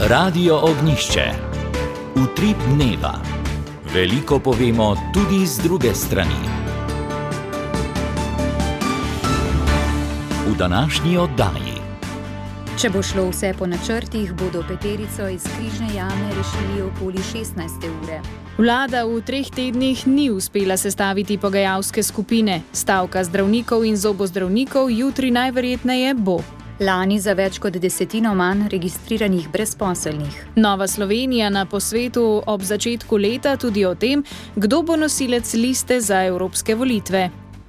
Radio Ognjišče. Utrip dneva. Veliko povemo tudi z druge strani. V današnji oddaji. Če bo šlo vse po načrtih, bodo peterico iz Križne jame rešili okoli 16. ure. Vlada v 3 tednih ni uspela sestaviti pogajalske skupine. Stavka zdravnikov in zobozdravnikov jutri najverjetneje bo. Lani za več kot 10% manj registriranih brezposelnih. Nova Slovenija na posvetu ob začetku leta tudi o tem, kdo bo nosilec liste za evropske volitve.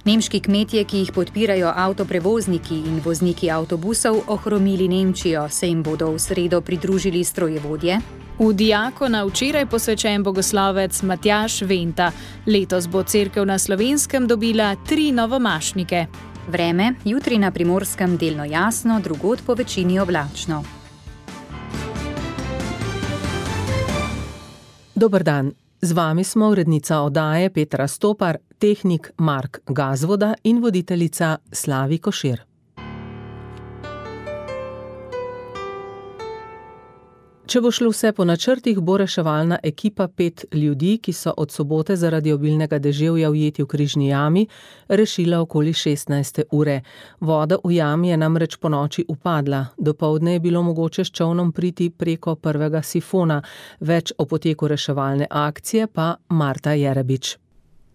Nemški kmetje, ki jih podpirajo avtoprevozniki in vozniki avtobusov, ohromili Nemčijo, se jim bodo v sredo pridružili strojevodje. V diakona včeraj posvečen bogoslovec Matjaž Venta. Letos bo cerkev na Slovenskem dobila 3 novomašnike. Vreme, jutri na Primorskem delno jasno, drugod po večini oblačno. Dober dan, z vami smo urednica oddaje Petra Stopar, tehnik Mark Gazvoda in voditeljica Slavi Košir. Če bo šlo vse po načrtih, bo reševalna ekipa 5 ljudi, ki so od sobote zaradi obilnega deževja ujeti v Križni jami, rešila okoli 16. ure. Voda v jami je namreč ponoči upadla. Dopoldne je bilo mogoče s čolnom priti preko prvega sifona. Več o poteku reševalne akcije pa Marta Jerebič.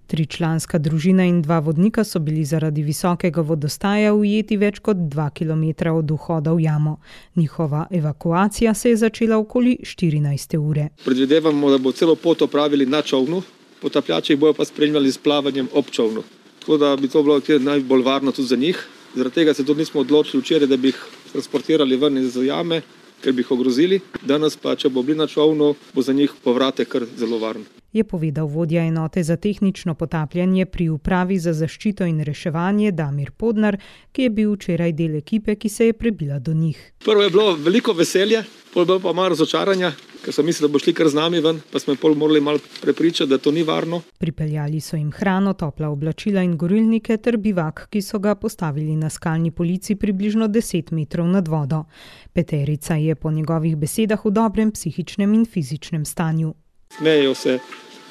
3-članska družina in 2 vodnika so bili zaradi visokega vodostaja ujeti več kot 2 kilometra od vhoda v jamo. Njihova evakuacija se je začela okoli 14. ure. Predvidevamo, da bo celo pot opravili na čolnu, potapljači jih bojo pa spremljali s plavanjem ob čolnu. Tako da bi to bilo najbolj varno tudi za njih. Zaradi tega se tudi nismo odločili včeraj, da bi jih transportirali ven iz jame, ker bi jih ogrozili. Danes pa, če bo bili na čolnu, bo za njih povratek kar zelo varen. Je povedal vodja enote za tehnično potapljanje pri upravi za zaščito in reševanje Damir Podnar, ki je bil včeraj del ekipe, ki se je prebila do njih. Prvo je bilo veliko veselje, pol bilo pa malo razočaranja, ker so mislili, da bo šli kar z nami ven, pa smo pol morali malo prepričati, da to ni varno. Pripeljali so jim hrano, topla oblačila in gorilnike ter bivak, ki so ga postavili na skalni polici približno 10 metrov nad vodo. Peterica je po njegovih besedah v dobrem psihičnem in fizičnem stanju. Smejejo se,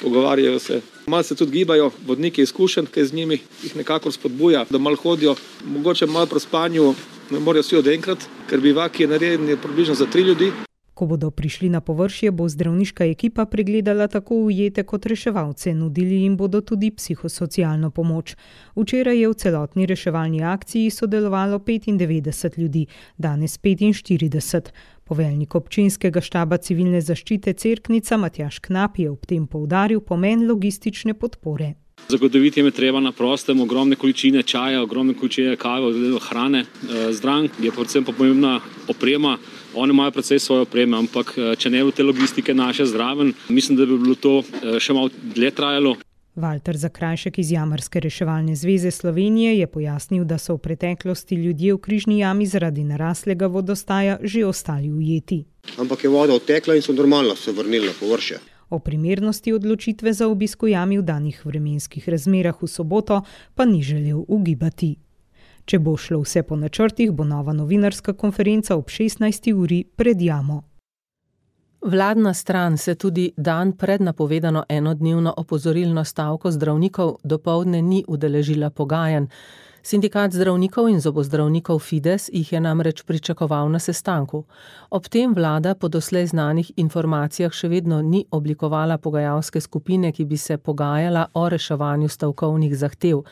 pogovarjajo se, malo se tudi gibajo, vodniki izkušenj, ki z njimi jih nekako spodbuja, da malo hodijo, mogoče malo pri spanju ne morajo vsi odenkrat, ker bivak je narejen približno za 3 ljudi. Ko bodo prišli na površje, bo zdravniška ekipa pregledala tako ujete kot reševalce, nudili jim bodo tudi psihosocialno pomoč. Včeraj je v celotni reševalni akciji sodelovalo 95 ljudi, danes 45. Poveljnik občinskega štaba civilne zaščite Cerknica Matjaž Knap je ob tem poudaril pomen logistične podpore. Zagotoviti jim je treba na prostem ogromne količine čaja, ogromne količine kave, hrane. Zdrav je predvsem pomembna oprema. Oni imajo precej svoje opreme, ampak če ne bo te logistike naše zraven, mislim, da bi bilo to še malo dlje trajalo. Valter Zakrajšek iz Jamarske reševalne zveze Slovenije je pojasnil, da so v preteklosti ljudje v Križni jami zaradi naraslega vodostaja že ostali ujeti. Ampak je voda odtekla in so normalno se vrnili na površje. O primernosti odločitve za obisk v jami v danih vremenskih razmerah v soboto pa ni želel ugibati. Če bo šlo vse po načrtih, bo nova novinarska konferenca ob 16. uri pred jamo. Vladna stran se tudi dan pred napovedano enodnevno opozorilno stavko zdravnikov dopoldne ni udeležila pogajanj. Sindikat zdravnikov in zobozdravnikov Fides jih je namreč pričakoval na sestanku. Ob tem vlada po doslej znanih informacijah še vedno ni oblikovala pogajalske skupine, ki bi se pogajala o reševanju stavkovnih zahtev.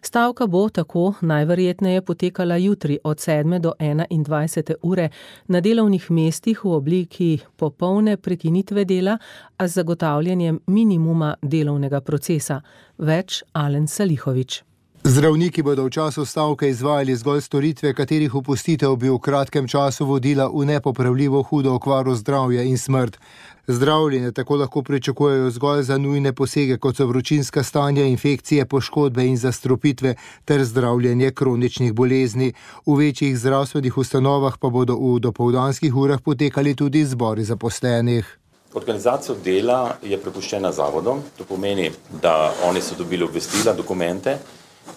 Stavka bo tako najverjetneje potekala jutri od 7. do 21. ure na delovnih mestih v obliki popolne prekinitve dela, a z zagotavljanjem minimuma delovnega procesa. Več Alen Salihovič. Zdravniki bodo v času stavke izvajali zgolj storitve, katerih opustitev bi v kratkem času vodila v nepopravljivo hudo okvaro zdravja in smrt. Zdravljenje tako lahko pričakujejo zgolj za nujne posege, kot so vročinska stanja, infekcije, poškodbe in zastrupitve ter zdravljenje kroničnih bolezni. V večjih zdravstvenih ustanovah pa bodo v dopoldanskih urah potekali tudi zbori zaposlenih. Organizacija dela je prepuščena zavodom, to pomeni, da oni so dobili obvestila, dokumente,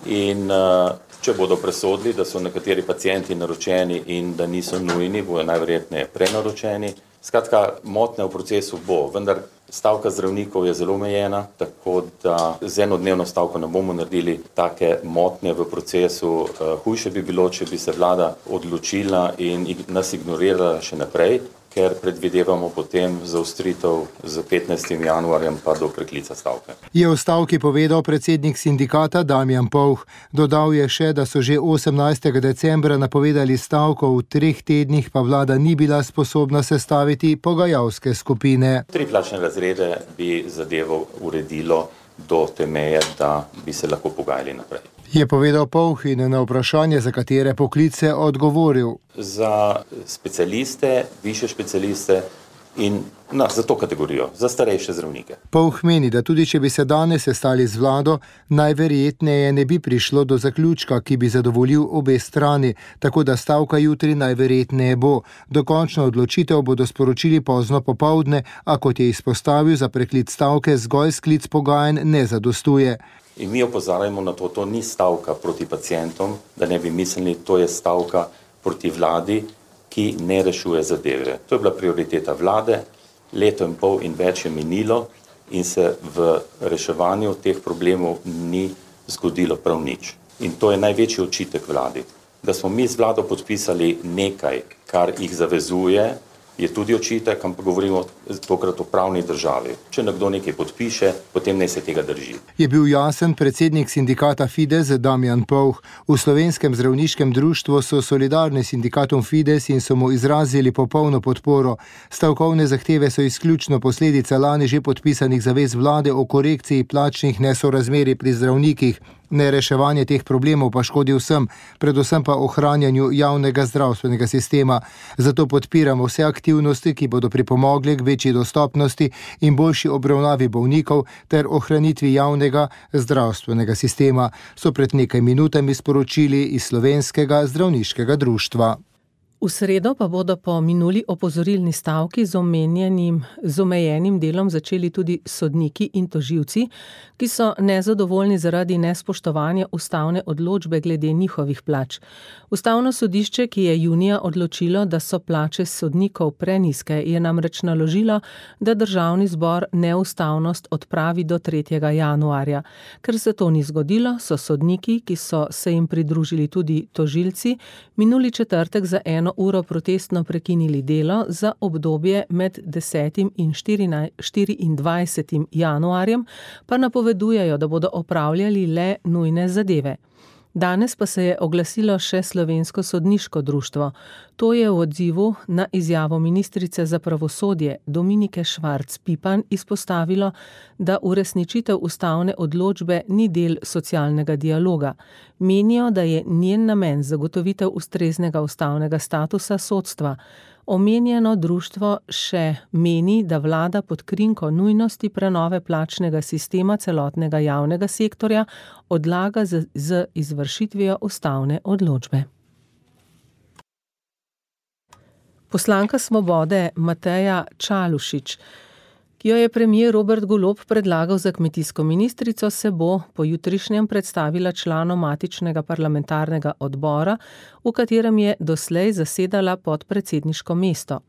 in če bodo presodili, da so nekateri pacienti naročeni in da niso nujni, bodo najverjetneje prenaročeni, Skratka, motnja v procesu bo, vendar stavka zdravnikov je zelo omejena, tako da z enodnevno stavko ne bomo naredili take motnje v procesu. Hujše bi bilo, če bi se vlada odločila in nas ignorirala še naprej, ker predvidevamo potem zaostritev z 15. januarjem pa do preklica stavke. Je v stavki povedal predsednik sindikata Damjan Povh. Dodal je še, da so že 18. decembra napovedali stavko, v 3 tednih pa vlada ni bila sposobna sestaviti pogajalske skupine. 3 plačne razrede bi zadevo uredilo do te meje, da bi se lahko pogajali naprej. Je povedal Povh in na vprašanje, za katere poklice odgovoril. Za specialiste, višje specialiste in za to kategorijo, za starejše zdravnike. Povh meni, da tudi če bi se danes sestali z vlado, najverjetneje ne bi prišlo do zaključka, ki bi zadovoljil obe strani, tako da stavka jutri najverjetneje bo. Dokončno odločitev bodo sporočili pozno popoldne, a kot je izpostavil, za preklic stavke zgolj sklic pogajanj ne zadostuje. In mi opozarjamo na to, to ni stavka proti pacientom, da ne bi mislili, to je stavka proti vladi, ki ne rešuje zadeve. To je bila prioriteta vlade, 1,5 leta in več je minilo in se v reševanju teh problemov ni zgodilo prav nič. In to je največji očitek vladi. Da smo mi z vlado podpisali nekaj, kar jih zavezuje, je tudi očitek, ampak govorimo tokrat o pravni državi. Če nekdo nekaj podpiše, potem naj se tega drži. Je bil jasen predsednik sindikata Fides Damjan Povh. V Slovenskem zdravniškem društvu so solidarni s sindikatom Fides in so mu izrazili popolno podporo. Stavkovne zahteve so izključno posledica lani že podpisanih zavez vlade o korekciji plačnih nesorazmerij pri zdravnikih. Nereševanje teh problemov pa škodi vsem, predvsem pa ohranjanju javnega zdravstvenega sistema. Zato podpiramo vse aktivnosti, ki bodo pripomogle k večji dostopnosti in boljši obravnavi bolnikov ter ohranitvi javnega zdravstvenega sistema, so pred nekaj minutami sporočili iz Slovenskega zdravniškega društva. V sredo pa bodo po minuli opozorilni stavki z omejenim delom začeli tudi sodniki in tožilci, ki so nezadovoljni zaradi nespoštovanja ustavne odločbe glede njihovih plač. Ustavno sodišče, ki je junija odločilo, da so plače sodnikov prenizke, je namreč naložilo, da Državni zbor neustavnost odpravi do 3. januarja. Ker se to ni zgodilo, so sodniki, ki so se jim pridružili tudi tožilci, minuli četrtek za 1 uro protestno prekinili delo za obdobje med 10. in 24. januarjem, pa napovedujejo, da bodo opravljali le nujne zadeve. Danes pa se je oglasilo še Slovensko sodniško društvo. To je v odzivu na izjavo ministrice za pravosodje Dominike Švarc Pipan izpostavilo, da uresničitev ustavne odločbe ni del socialnega dialoga. Menijo, da je njen namen zagotovitev ustreznega ustavnega statusa sodstva. Omenjeno društvo še meni, da vlada pod krinko nujnosti prenove plačnega sistema celotnega javnega sektorja odlaga z izvršitvijo ustavne odločbe. Poslanka Svobode Mateja Čalušić, ki jo je premier Robert Golob predlagal za kmetijsko ministrico, se bo po jutrišnjem predstavila članom matičnega parlamentarnega odbora, v katerem je doslej zasedala podpredsedniško mesto.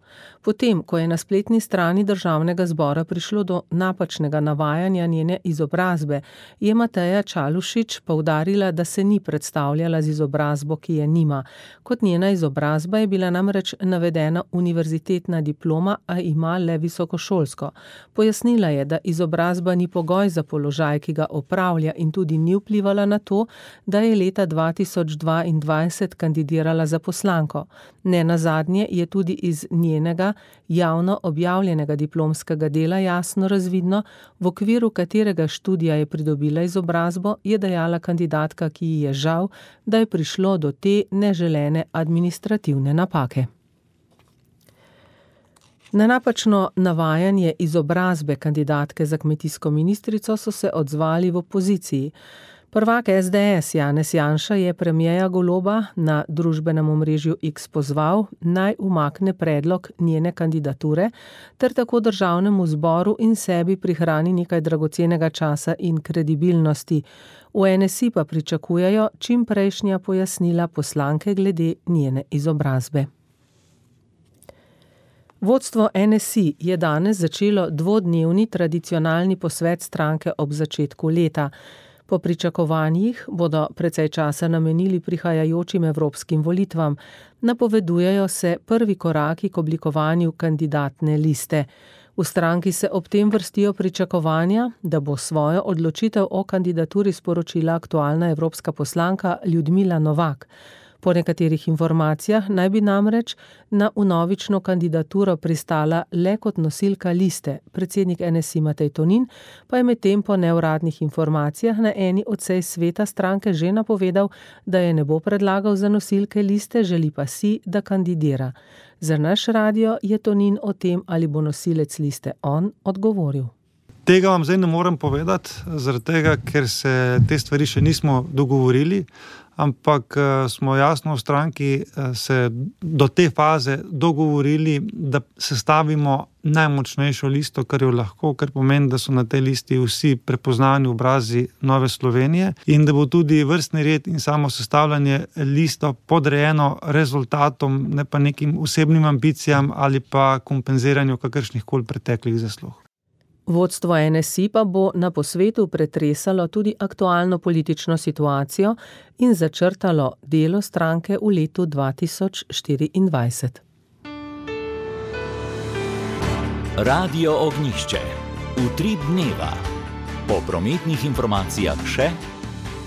Potem, ko je na spletni strani Državnega zbora prišlo do napačnega navajanja njene izobrazbe, je Mateja Čalušić poudarila, da se ni predstavljala z izobrazbo, ki je nima. Kot njena izobrazba je bila namreč navedena univerzitetna diploma, a ima le visokošolsko. Pojasnila je, da izobrazba ni pogoj za položaj, ki ga opravlja, in tudi ni vplivala na to, da je leta 2022 kandidirala za poslanko. Nenazadnje je tudi iz njenega javno objavljenega diplomskega dela jasno razvidno, v okviru katerega študija je pridobila izobrazbo, je dejala kandidatka, ki ji je žal, da je prišlo do te neželene administrativne napake. Na napačno navajanje izobrazbe kandidatke za kmetijsko ministrico so se odzvali v opoziciji. Prvak SDS Janez Janša je premierja Goloba na družbenem omrežju X pozval, naj umakne predlog njene kandidature, ter tako Državnemu zboru in sebi prihrani nekaj dragocenega časa in kredibilnosti. V NSI pa pričakujejo čim prejšnja pojasnila poslanke glede njene izobrazbe. Vodstvo NSI je danes začelo dvodnevni tradicionalni posvet stranke ob začetku leta. Po pričakovanjih bodo precej časa namenili prihajajočim evropskim volitvam. Napovedujejo se prvi koraki k oblikovanju kandidatne liste. V stranki se ob tem vrstijo pričakovanja, da bo svojo odločitev o kandidaturi sporočila aktualna evropska poslanka Ljudmila Novak. Po nekaterih informacijah naj bi namreč na vnovično kandidaturo pristala le kot nosilka liste. Predsednik NSI Matej Tonin pa je medtem po neuradnih informacijah na eni od sej sveta stranke že napovedal, da je ne bo predlagal za nosilke liste, želi pa si, da kandidira. Za naš radio je Tonin o tem, ali bo nosilec liste on, odgovoril. Tega vam zdaj ne morem povedati, zaradi tega, ker se te stvari še nismo dogovorili, ampak smo jasno v stranki se do te faze dogovorili, da sestavimo najmočnejšo listo, kar jo lahko, kar pomeni, da so na tej listi vsi prepoznani obrazi Nove Slovenije in da bo tudi vrstni red in samo sestavljanje listo podrejeno rezultatom, ne pa nekim osebnim ambicijam ali pa kompenziranju kakršnih koli preteklih zaslug. Vodstvo NSI pa bo na posvetu pretresalo tudi aktualno politično situacijo in začrtalo delo stranke v letu 2024. Radio Ognjišče. Utrip dneva. Po prometnih informacijah še: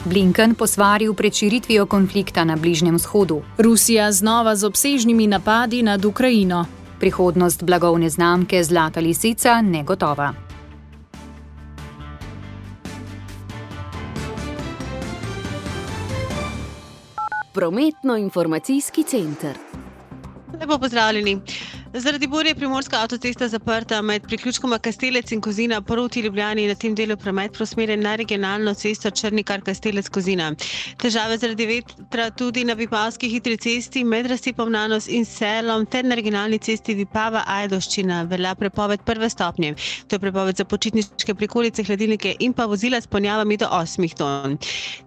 Blinken posvaril pred širitvijo konflikta na Bližnjem vzhodu. Rusija znova z obsežnimi napadi nad Ukrajino. Prihodnost blagovne znamke Zlata lisica negotova. Prometno-informacijski center. Lepo pozdravljeni. Zaradi burje je primorska avtocesta zaprta med priključkoma Kastelec in Kozina proti Ljubljani, na tem delu promet preusmerjen na regionalno cesto Črnikar-Kastelec-Kozina. Težave zaradi vetra tudi na Vipavski hitri cesti med Razcepom Nanos in Selom ter na regionalni cesti Vipava-Ajdovščina velja prepoved prve stopnje. To je prepoved za počitniške prikolice, hladilnike in pa vozila s ponjavami do 8 ton.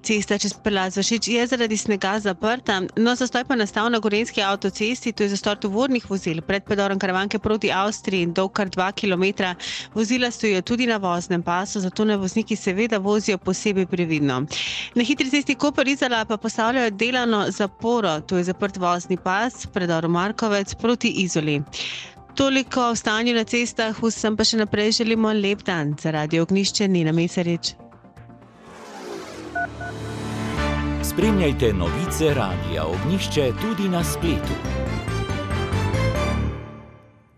Cesta čez prelaz Vršič je zaradi snega zaprta, no zastoj pa nastal na Gorenjski avtocesti, to je zastoj tovornih vozil pred predorom Karavanke proti Avstriji, dolg kar 2 km. Vozila stojijo tudi na voznem pasu, zato naj vozniki seveda vozijo posebej previdno. Na hitri cesti Koper-Izola pa postavljajo delano zaporo, to je zaprt vozni pas, predor Markovec proti Izoli. Toliko o stanju na cestah, vsem pa še naprej želimo lep dan. Za Radio Ognjišče Nina Mesarič. Spremljajte novice Radia Ognjišče tudi na spletu.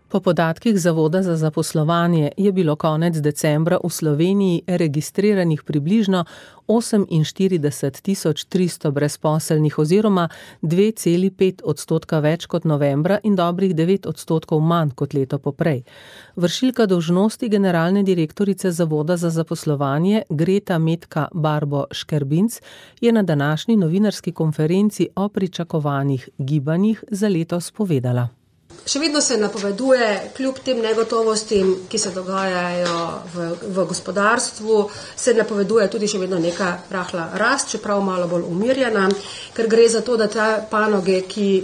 Po podatkih Zavoda za zaposlovanje je bilo konec decembra v Sloveniji registriranih približno 48.300 brezposelnih oziroma 2,5% več kot novembra in dobrih 9% manj kot leto poprej. Vršilka dolžnosti generalne direktorice Zavoda za zaposlovanje Greta Metka Barbo Škerbinc je na današnji novinarski konferenci o pričakovanih gibanjih za letos povedala. Še vedno se napoveduje, kljub tem negotovostim, ki se dogajajo v gospodarstvu, se napoveduje tudi še vedno neka rahla rast, čeprav malo bolj umirjena, ker gre za to, da te panoge, ki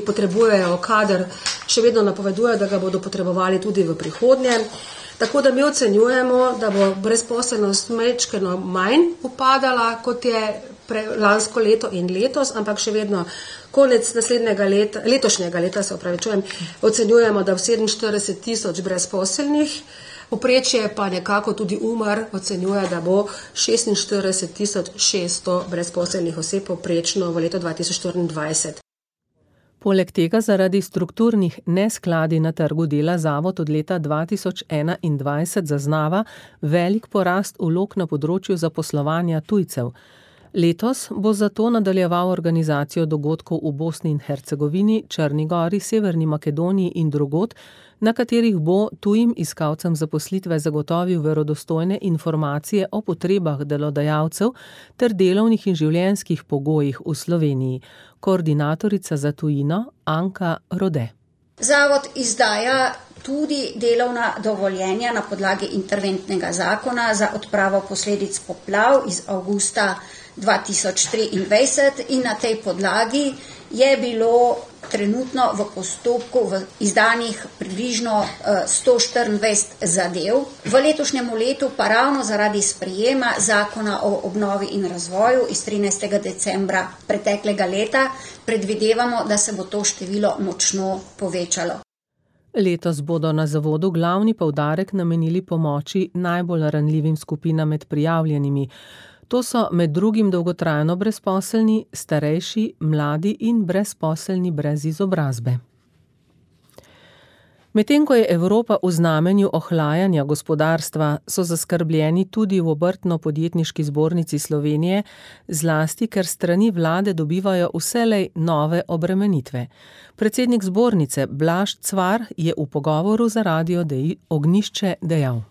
potrebujejo kader, še vedno napovedujejo, da ga bodo potrebovali tudi v prihodnje. Tako da mi ocenjujemo, da bo brezposelnost majčkeno manj upadala, kot je lansko leto in letos, ampak še vedno konec letošnjega leta ocenjujemo, da v 47.000 brezposelnih, povprečje pa nekako tudi Umar ocenjuje, da bo 46.600 brezposelnih oseb povprečno v letu 2024. Poleg tega zaradi strukturnih neskladij na trgu dela Zavod od leta 2021 zaznava velik porast vlog na področju zaposlovanja tujcev. Letos bo zato nadaljeval organizacijo dogodkov v Bosni in Hercegovini, Črni Gori, Severni Makedoniji in drugod, na katerih bo tujim iskalcem zaposlitve zagotovil verodostojne informacije o potrebah delodajalcev ter delovnih in življenjskih pogojih v Sloveniji. Koordinatorica za tujino Anka Rode. Zavod izdaja tudi delovna dovoljenja na podlagi interventnega zakona za odpravo posledic poplav iz avgusta 2023 in na tej podlagi je bilo trenutno v postopku v izdanih približno 124 zadev. V letošnjem letu pa ravno zaradi sprejema zakona o obnovi in razvoju iz 13. decembra preteklega leta predvidevamo, da se bo to število močno povečalo. Letos bodo na zavodu glavni poudarek namenili pomoči najbolj ranljivim skupinam med prijavljenimi. To so med drugim dolgotrajno brezposelni, starejši, mladi in brezposelni brez izobrazbe. Medtem ko je Evropa v znamenju ohlajanja gospodarstva, so zaskrbljeni tudi v Obrtno-podjetniški zbornici Slovenije, zlasti ker strani vlade dobivajo vselej nove obremenitve. Predsednik zbornice Blaž Cvar je v pogovoru za Radio Ognjišče dejal.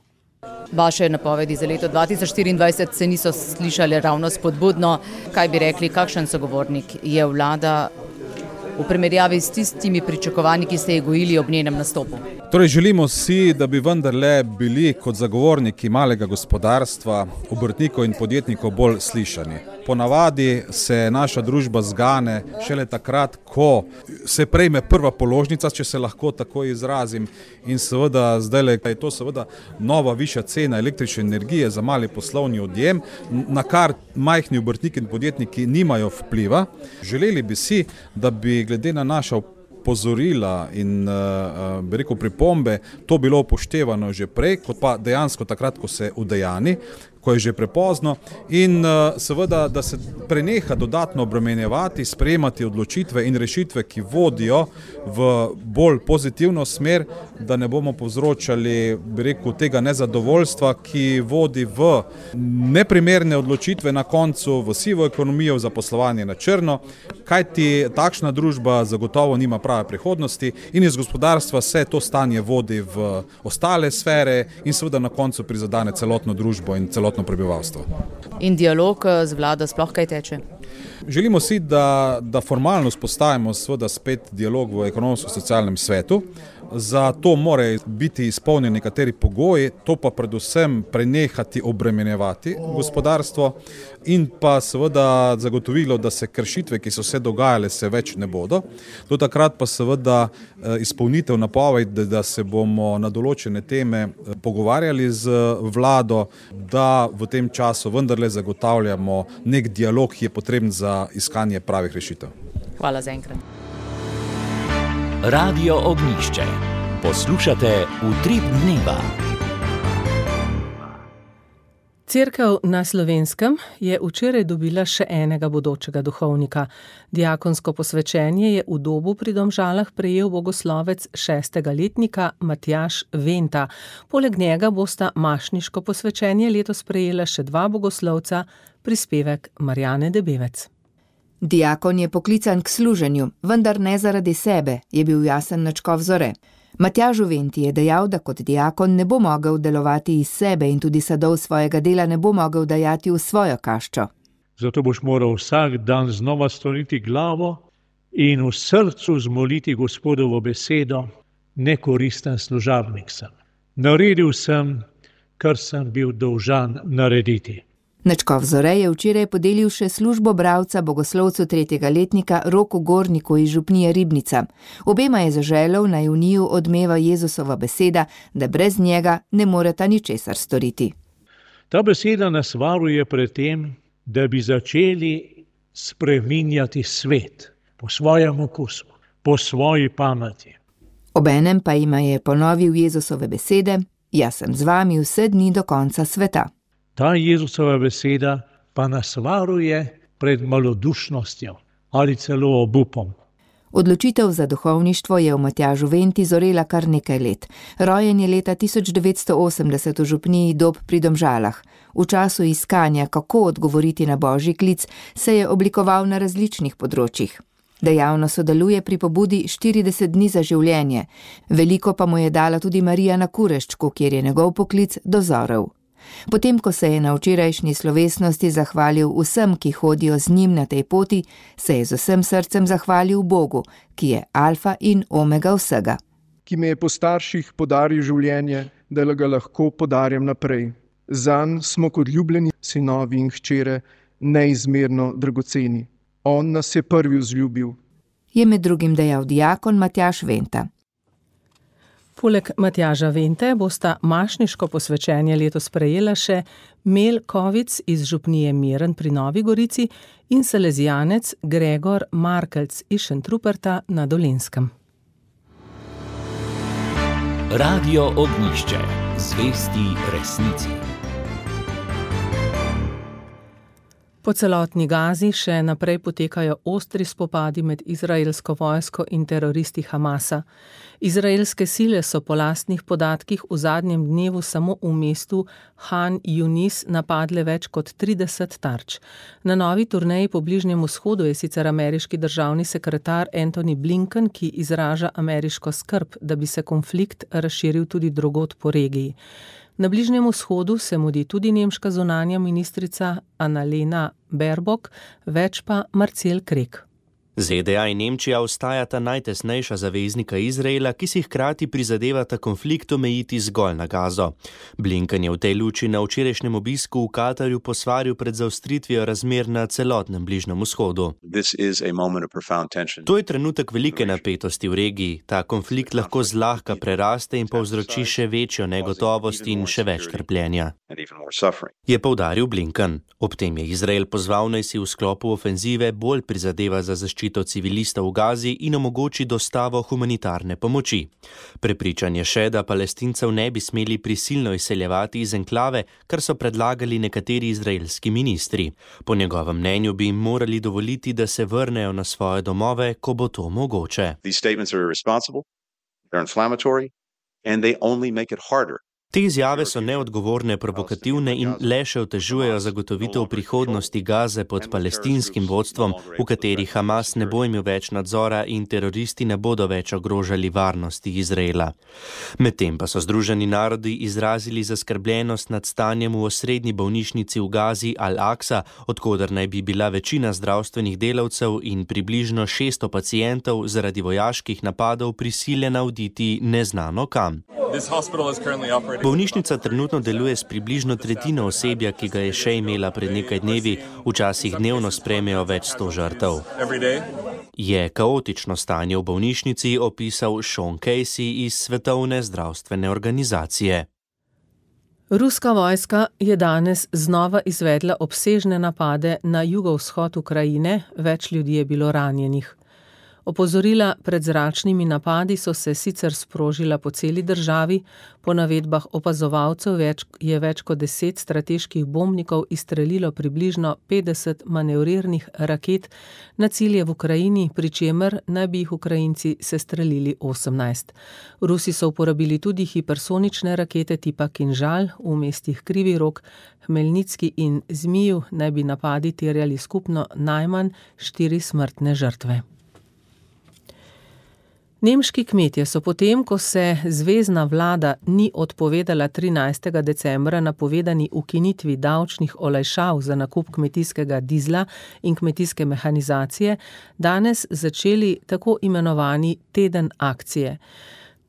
Vaše napovedi za leto 2024 se niso slišali ravno spodbudno. Kaj bi rekli, kakšen sogovornik je vlada v primerjavi s tistimi pričakovanji, ki ste jih gojili ob njenem nastopu? Torej želimo si, da bi vendarle bili kot zagovorniki malega gospodarstva, obrtnikov in podjetnikov bolj slišani. Ponavadi se naša družba zgane šele takrat, ko se prejme prva položnica, če se lahko tako izrazim, in seveda zdaj je to seveda nova višja cena električne energije za mali poslovni odjem, na kar majhni obrtniki in podjetniki nimajo vpliva. Želeli bi si, da bi glede na naša opozorila in pripombe to bilo upoštevano že prej, kot pa dejansko takrat, ko se udejani, ko je že prepozno, in seveda, da se preneha dodatno obremenjevati, sprejemati odločitve in rešitve, ki vodijo v bolj pozitivno smer, da ne bomo povzročali, tega nezadovoljstva, ki vodi v neprimerne odločitve na koncu, v sivo ekonomijo, v zaposlovanje na črno, kajti takšna družba zagotovo nima prave prihodnosti in iz gospodarstva se to stanje vodi v ostale sfere in seveda na koncu prizadene celotno družbo in celotno prebivalstvo. In dialog z vlado sploh kaj teče? Želimo si, da formalno vzpostavimo seveda spet dialog v ekonomsko-socialnem svetu. Za to morajo biti izpolnjeni nekateri pogoji, to pa predvsem prenehati obremenjevati gospodarstvo in pa seveda zagotovilo, da se kršitve, ki so se dogajale, se več ne bodo. Do takrat pa seveda izpolnitev napovedi, da se bomo na določene teme pogovarjali z vlado, da v tem času vendarle zagotavljamo nek dialog, ki je potreben za iskanje pravih rešitev. Hvala za enkrat. Radio Ognjišče. Poslušate Utrip dneva. Cerkev na Slovenskem je včeraj dobila še enega bodočega duhovnika. Diakonsko posvečenje je v Dobu pri Domžalah prejel bogoslovec 6. letnika Matjaž Venta. Poleg njega bosta mašniško posvečenje letos prejela še 2 bogoslovca, prispevek Marjane Debevec. Diakon je poklican k služenju, vendar ne zaradi sebe, je bil jasen Načkov Zore. Matjažu Venti je dejal, da kot diakon ne bo mogel delovati iz sebe in tudi sadov svojega dela ne bo mogel dajati v svojo kaščo. Zato boš moral vsak dan znova skloniti glavo in v srcu zmoliti Gospodovo besedo, nekoristen služabnik sem. Naredil sem, kar sem bil dolžan narediti. Načkov Zore je včeraj podelil še službo bralca bogoslovcu 3. letnika Roku Gorniku iz župnije Ribnica. Obema je zaželel, naj v njiju odmeva Jezusova beseda, da brez njega ne moreta ničesar storiti. Ta beseda nas varuje pred tem, da bi začeli spreminjati svet po svojem okusu, po svoji pameti. Obenem pa jima je ponovil Jezusove besede: "Jaz sem z vami vse dni do konca sveta." Ta Jezusova beseda pa nas varuje pred malodušnostjo ali celo obupom. Odločitev za duhovništvo je v Matjažu Venti zorela kar nekaj let. Rojen je leta 1980 v župniji Dob pri Domžalah. V času iskanja, kako odgovoriti na božji klic, se je oblikoval na različnih področjih. Dejavno sodeluje pri pobudi 40 dni za življenje. Veliko pa mu je dala tudi Marija na Kureščku, kjer je njegov poklic dozorel. Potem, ko se je na včerajšnji slovesnosti zahvalil vsem, ki hodijo z njim na tej poti, se je z vsem srcem zahvalil Bogu, ki je alfa in omega vsega. Ki me je po starših podaril življenje, da ga lahko podarjam naprej. Zanj smo kot ljubljeni sinovi in hčere neizmerno dragoceni. On nas je prvi vzljubil. je med drugim dejal dijakon Matjaž Venta. Poleg Matjaža Vente bosta mašniško posvečenje letos prejela še Mel Kovic iz župnije Miren pri Novi Gorici in salezijanec Gregor Markelc iz Šentruperta na Dolenjskem. Radio Ognjišče, zvesti resnici. Po celotni Gazi še naprej potekajo ostri spopadi med izraelsko vojsko in teroristi Hamasa. Izraelske sile so po lastnih podatkih v zadnjem dnevu samo v mestu Han Yunis napadle več kot 30 tarč. Na novi turneji po Bližnjem vzhodu je sicer ameriški državni sekretar Antony Blinken, ki izraža ameriško skrb, da bi se konflikt razširil tudi drugod po regiji. Na Bližnjem vzhodu se mudi tudi nemška zunanja ministrica Annalena Baerbock, več pa Marcel Krek. ZDA in Nemčija ostajata najtesnejša zaveznika Izraela, ki si hkrati prizadevata konflikt omejiti zgolj na Gazo. Blinken je v tej luči na včerajšnjem obisku v Katarju posvaril pred zaostritvijo razmer na celotnem Bližnjem vzhodu. To je trenutek velike napetosti v regiji. Ta konflikt lahko zlahka preraste in povzroči še večjo negotovost in še več trpljenja, je poudaril Blinken. Ob tem je Izrael pozval, naj si v sklopu ofenzive bolj prizadeva za zaščito civilistov v Gazi in omogoči dostavo humanitarne pomoči. Prepričan je še, da Palestincev ne bi smeli prisilno izseljevati iz enklave, kar so predlagali nekateri izraelski ministri. Po njegovem mnenju bi jim morali dovoliti, da se vrnejo na svoje domove, ko bo to mogoče. Te izjave so neodgovorne, provokativne in le še otežujejo zagotovitev prihodnosti Gaze pod palestinskim vodstvom, v kateri Hamas ne bo imel več nadzora in teroristi ne bodo več ogrožali varnosti Izraela. Medtem pa so Združeni narodi izrazili zaskrbljenost nad stanjem v osrednji bolnišnici v Gazi Al-Aqsa, odkoder naj bi bila večina zdravstvenih delavcev in približno 600 pacientov zaradi vojaških napadov prisiljena oditi neznano kam. Bolnišnica trenutno deluje s približno tretjino osebja, ki ga je še imela pred nekaj dnevi, včasih dnevno sprejmejo več 100 žrtev. Je kaotično stanje v bolnišnici opisal Sean Casey iz Svetovne zdravstvene organizacije. Ruska vojska je danes znova izvedla obsežne napade na jugovzhod Ukrajine, več ljudi je bilo ranjenih. Opozorila pred zračnimi napadi so se sicer sprožila po celi državi, po navedbah opazovalcev je več kot 10 strateških bombnikov izstrelilo približno 50 manevrirnih raket na cilje v Ukrajini, pri čemer naj bi jih Ukrajinci sestrelili 18. Rusi so uporabili tudi hipersonične rakete tipa Kinžal v mestih Krivi Rog, Hmelnicki in Zmiju, naj bi napadi terjali skupno najmanj 4 smrtne žrtve. Nemški kmetje so potem, ko se zvezna vlada ni odpovedala 13. decembra napovedani ukinitvi davčnih olajšav za nakup kmetijskega dizla in kmetijske mehanizacije, danes začeli tako imenovani teden akcije.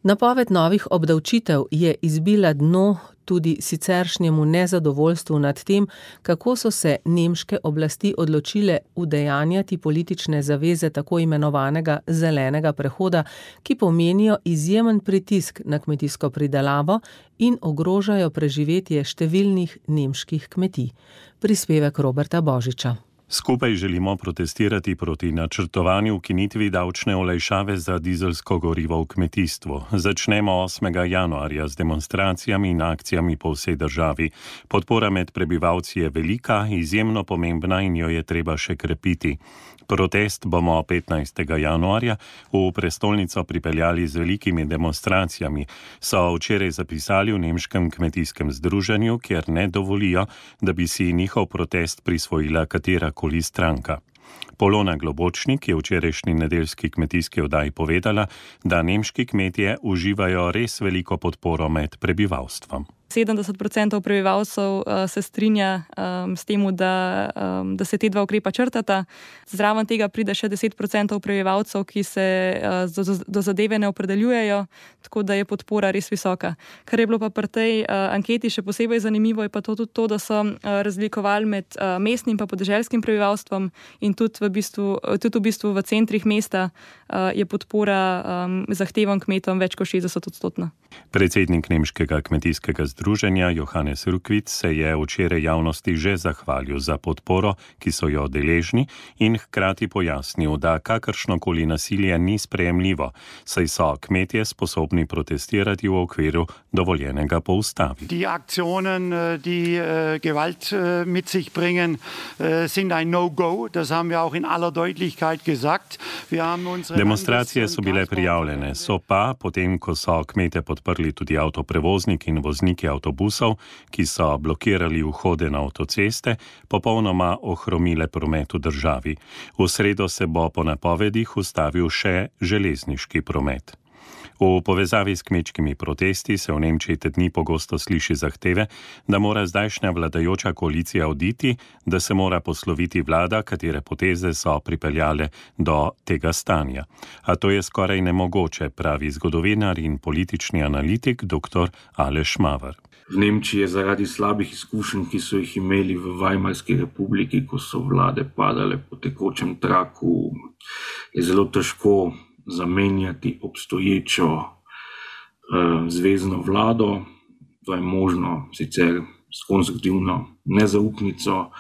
Napoved novih obdavčitev je izbila dno tudi siceršnjemu nezadovoljstvu nad tem, kako so se nemške oblasti odločile udejanjati politične zaveze tako imenovanega zelenega prehoda, ki pomenijo izjemen pritisk na kmetijsko pridelavo in ogrožajo preživetje številnih nemških kmetij. Prispevek Roberta Božiča. Skupaj želimo protestirati proti načrtovani ukinitvi davčne olajšave za dizelsko gorivo v kmetijstvu. Začnemo 8. januarja z demonstracijami in akcijami po vsej državi. Podpora med prebivalci je velika, izjemno pomembna in jo je treba še krepiti. Protest bomo 15. januarja v prestolnico pripeljali z velikimi demonstracijami, so včeraj zapisali v Nemškem kmetijskem združenju, kjer ne dovolijo, da bi si njihov protest prisvojila katerakoli stranka. Polona Globočnik je v včerajšnji nedeljski kmetijski oddaji povedala, da nemški kmetje uživajo res veliko podporo med prebivalstvom. 70% prebivalcev se strinja s tem, da se te dva ukrepa črtata. Zraven tega pride še 10% prebivalcev, ki se do zadeve ne opredeljujejo, tako da je podpora res visoka. Kar je bilo pa pri tej anketi še posebej zanimivo, je pa tudi to, da so razlikovali med mestnim pa podeželskim prebivalstvom in tudi v bistvu v centrih mesta je podpora zahtevam kmetom več kot 60%. Predsednik nemškega kmetijskega združenja Johannes Rukvic se je včeraj javnosti že zahvalil za podporo, ki so jo deležni, in hkrati pojasnil, da kakršnokoli nasilje ni sprejemljivo, saj so kmetje sposobni protestirati v okviru dovoljenega po ustavi. Die Aktionen, die Gewalt mit sich bringen, sind ein No-Go. Das haben wir auch in aller Deutlichkeit gesagt. Demonstracije so bile prijavljene, so pa, potem ko so kmete podprli tudi avtoprevozniki in vozniki avtobusov, ki so blokirali vhode na avtoceste, popolnoma ohromile promet v državi. V sredo se bo po napovedih ustavil še železniški promet. V povezavi s kmečkimi protesti se v Nemčiji te dni pogosto sliši zahteve, da mora zdajšnja vladajoča koalicija oditi, da se mora posloviti vlada, katere poteze so pripeljale do tega stanja. A to je skoraj nemogoče, pravi zgodovinar in politični analitik dr. Aleš Maver. V Nemčiji je zaradi slabih izkušenj, ki so jih imeli v Weimarski republiki, ko so vlade padale po tekočem traku, je zelo težko zamenjati obstoječo zvezno vlado. To je možno sicer s konstruktivno nezaupnico,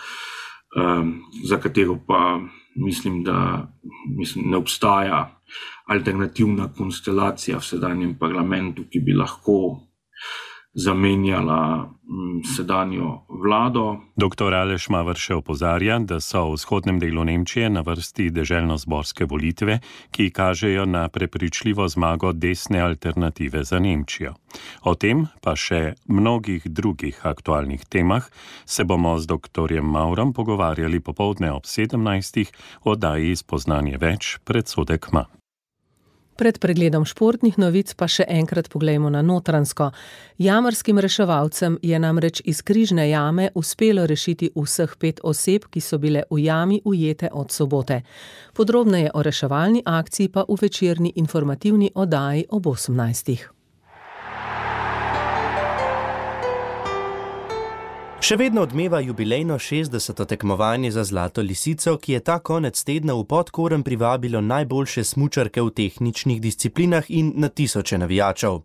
za katero pa mislim, da ne obstaja alternativna konstelacija v sedanjem parlamentu, ki bi lahko zamenjala sedanjo vlado. Dr. Aleš Maver še opozarja, da so v vzhodnem delu Nemčije na vrsti deželno-zborske volitve, ki kažejo na prepričljivo zmago desne alternative za Nemčijo. O tem, pa še mnogih drugih aktualnih temah, se bomo z dr. Maurom pogovarjali popoldne ob 17. v oddaji Spoznanje več, predsodek manj. Pred pregledom športnih novic pa še enkrat poglejmo na Notranjsko. Jamarskim reševalcem je namreč iz Križne jame uspelo rešiti vseh 5 oseb, ki so bile v jami ujete od sobote. Podrobneje o reševalni akciji pa v večerni informativni oddaji ob 18. Še vedno odmeva jubilejno 60. tekmovanje za Zlato lisico, ki je ta konec tedna v Podkorn privabilo najboljše smučarke v tehničnih disciplinah in na tisoče navijačev.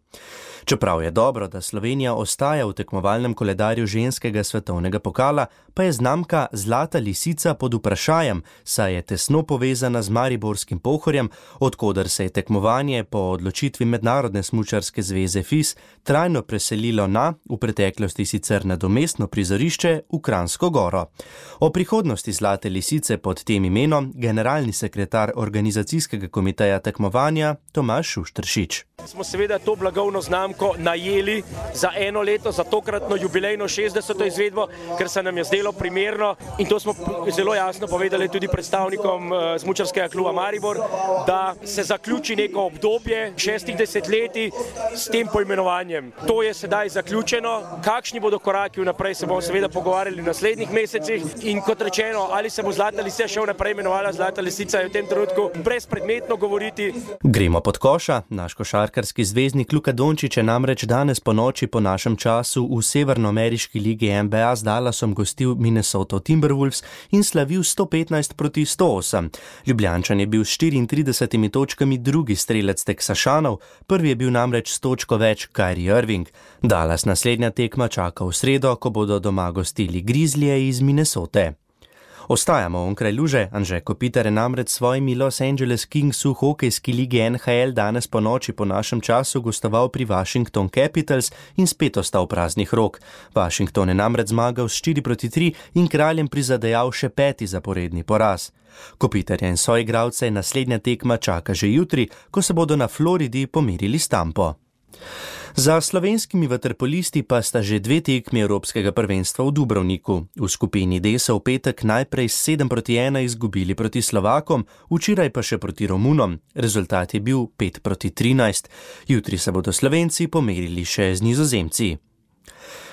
Čeprav je dobro, da Slovenija ostaja v tekmovalnem koledarju ženskega svetovnega pokala, pa je znamka Zlata lisica pod vprašajem, saj je tesno povezana z mariborskim Pohorjem, od koder se je tekmovanje po odločitvi Mednarodne smučarske zveze FIS trajno preselilo na, v preteklosti sicer nadomestno prizorišče, v Kranjsko Goro. O prihodnosti Zlate lisice pod tem imenom generalni sekretar organizacijskega komiteja tekmovanja Tomaž Šušteršič. Smo seveda to blagovno znamko najeli za eno leto, za tokratno jubilejno 60. izvedbo, ker se nam je zdelo primerno, in to smo zelo jasno povedali tudi predstavnikom smučarskega kluba Maribor, da se zaključi neko obdobje 6 desetletij s tem poimenovanjem. To je sedaj zaključeno. Kakšni bodo koraki vnaprej, se bomo seveda pogovarjali v naslednjih mesecih, in kot rečeno, ali se bo Zlata lisica še vnaprej imenovala Zlata lisica, je v tem trenutku brezpredmetno govoriti. Gremo pod koša. Naš košarkarski zvezdnik Luka Dončić je namreč danes po noči po našem času v severnoameriški ligi NBA z Dallasom gostil Minnesota Timberwolves in slavil 115-108. Ljubljančan je bil s 34 točkami drugi strelec Teksašanov, prvi je bil namreč s točko več Kyrie Irving. Dallas naslednja tekma čaka v sredo, ko bodo doma gostili Grizzlije iz Minnesote. Ostajamo onkraj luže. Anže Kopitar je namreč svojimi Los Angeles Kings v hokejski ligi NHL danes po noči po našem času gostoval pri Washington Capitals in spet ostal praznih rok. Washington je namreč zmagal s 4-3 in kraljem prizadejal še 5. zaporedni poraz. Kopitarja in soigralce naslednja tekma čaka že jutri, ko se bodo na Floridi pomerili s Tampo. Za slovenskimi vaterpolisti pa sta že 2 tekmi Evropskega prvenstva v Dubrovniku. V skupini D so v petek najprej 7-1 izgubili proti Slovakom, včeraj pa še proti Romunom. Rezultat je bil 5-13. Jutri se bodo Slovenci pomerili še z Nizozemci.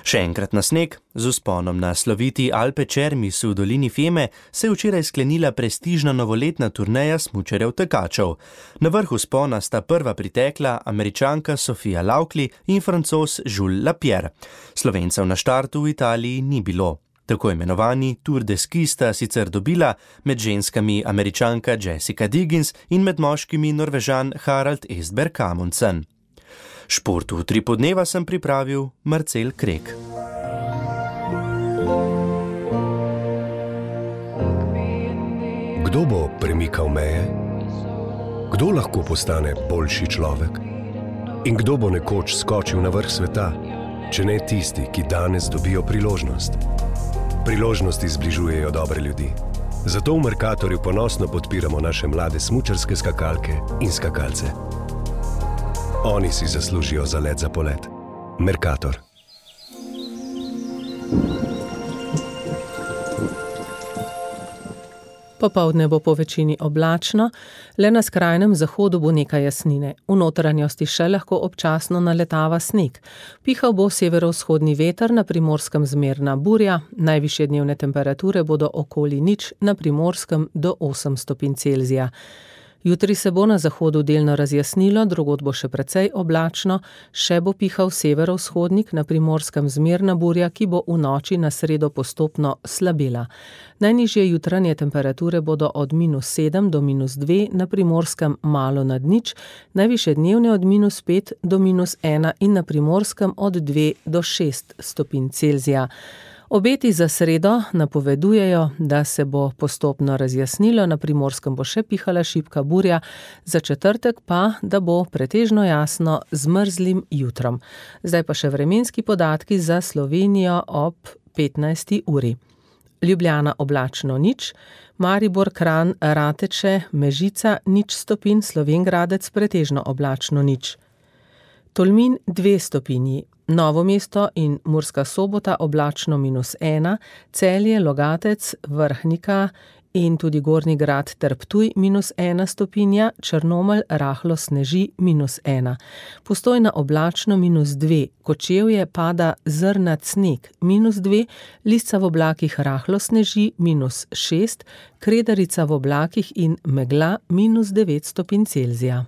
Še enkrat na sneg, z vzponom na sloviti Alpe Cermis v dolini Fieme se je včeraj sklenila prestižna novoletna turneja smučarjev tekačev. Na vrhu vzpona sta prva pritekla Američanka Sofia Laukli in Francoz Jules Lapierre. Slovencev na štartu v Italiji ni bilo. Tako imenovani Tour de Ski sta sicer dobila, med ženskami Američanka Jessica Diggins in med moškimi Norvežan Harald Estberg Amundsen. Športu v Utripu dneva sem pripravil Marcel Krek. Kdo bo premikal meje? Kdo lahko postane boljši človek? In kdo bo nekoč skočil na vrh sveta, če ne tisti, ki danes dobijo priložnost? Priložnosti zbližujejo dobre ljudi. Zato v Mercatorju ponosno podpiramo naše mlade smučarske skakalke in skakalce. Oni si zaslužijo za let za polet. Mercator. Popoldne bo po večini oblačno, le na skrajnem zahodu bo nekaj jasnine. V notranjosti še lahko občasno naletava sneg. Pihal bo severovzhodni veter, na Primorskem zmerna burja, najvišje dnevne temperature bodo okoli 0, na Primorskem do 8 stopinj Celzija. Jutri se bo na zahodu delno razjasnilo, drugod bo še precej oblačno, še bo pihal severovzhodnik, na Primorskem zmerna burja, ki bo v noči na sredo postopno slabela. Najnižje jutranje temperature bodo od -7 do -2, na Primorskem malo nad 0, najvišje dnevne od -5 do -1 in na Primorskem od 2 do 6 stopinj Celzija. Obeti za sredo napovedujejo, da se bo postopno razjasnilo, na Primorskem bo še pihala šibka burja, za četrtek pa, da bo pretežno jasno z mrzlim jutrom. Zdaj pa še vremenski podatki za Slovenijo ob 15. uri. Ljubljana oblačno 0, Maribor, Kranj, Rateče, Mežica 0 stopinj, Slovenj Gradec pretežno oblačno 0. Tolmin 2 stopinji, Novo mesto in Murska Sobota oblačno -1, Celje, Logatec, Vrhnika in tudi Gornji Grad ter Ptuj -1 stopinja, Črnomelj rahlo sneži -1. Postojna oblačno -2, Kočevje pada zrnat sneg -2, Lisca v oblakih rahlo sneži -6, Kredarica v oblakih in megla -9 stopinj Celzija.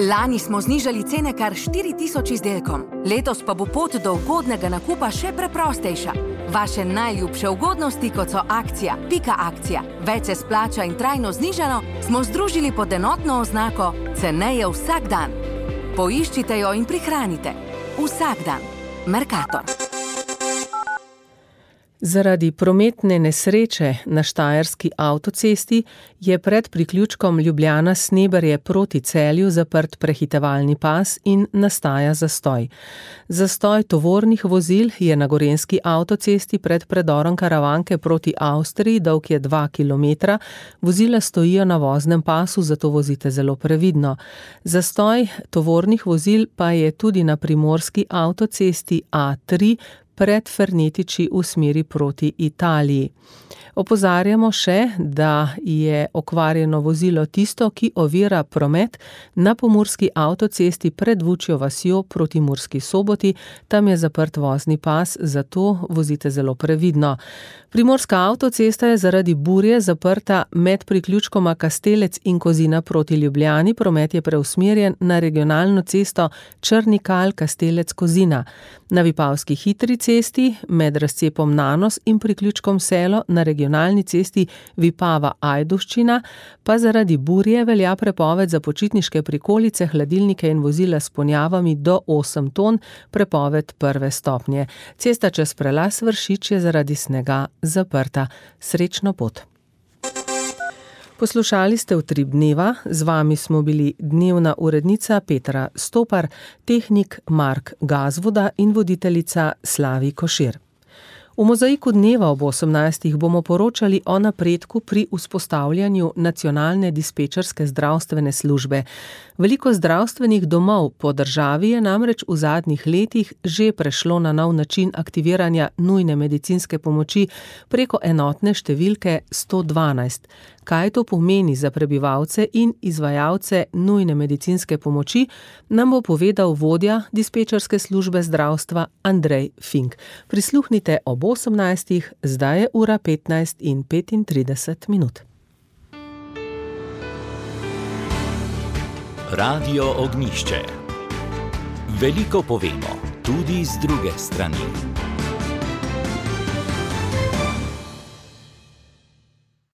Lani smo znižali cene kar 4000 izdelkom, letos pa bo pot do ugodnega nakupa še preprostejša. Vaše najljubše ugodnosti, kot so akcija, pika akcija, več se splača in trajno znižano, smo združili pod enotno oznako ceneje vsak dan. Poiščite jo in prihranite. Vsak dan. Mercator. Zaradi prometne nesreče na štajerski avtocesti je pred priključkom Ljubljana-Sneberje proti Celju zaprt prehitevalni pas in nastaja zastoj. Zastoj tovornih vozil je na gorenjski avtocesti pred predorom Karavanke proti Avstriji, dolg je 2 km, vozila stojijo na voznem pasu, zato vozite zelo previdno. Zastoj tovornih vozil pa je tudi na primorski avtocesti A3, pred Fernetiči v smeri proti Italiji. Opozarjamo še, da je okvarjeno vozilo tisto, ki ovira promet na pomurski avtocesti pred Vučjo vasjo proti Murski Soboti. Tam je zaprt vozni pas, zato vozite zelo previdno. Primorska avtocesta je zaradi burje zaprta med priključkoma Kastelec in Kozina proti Ljubljani. Promet je preusmerjen na regionalno cesto Črni Kal Kastelec Kozina. Na Vipavski hitri cesti med razcepom Nanos in priključkom Selo na regionalni cesti Vipava Ajdovščina pa zaradi burje velja prepoved za počitniške prikolice, hladilnike in vozila s ponjavami do 8 ton, prepoved 1. stopnje. Cesta čez prelaz Vršič je zaradi snega zaprta. Srečno pot. Poslušali ste Utrip dneva, z vami smo bili dnevna urednica Petra Stopar, tehnik Mark Gazvoda in voditeljica Slavi Košir. V Mozaiku dneva ob 18. bomo poročali o napredku pri vzpostavljanju nacionalne dispečerske zdravstvene službe. Veliko zdravstvenih domov po državi je namreč v zadnjih letih že prešlo na nov način aktiviranja nujne medicinske pomoči preko enotne številke 112. Kaj to pomeni za prebivalce in izvajalce nujne medicinske pomoči, nam bo povedal vodja dispečerske službe zdravstva Andrej Fink. Prisluhnite ob 18. Zdaj je ura 15:35. Radio Ognjišče. Veliko povemo, tudi z druge strani.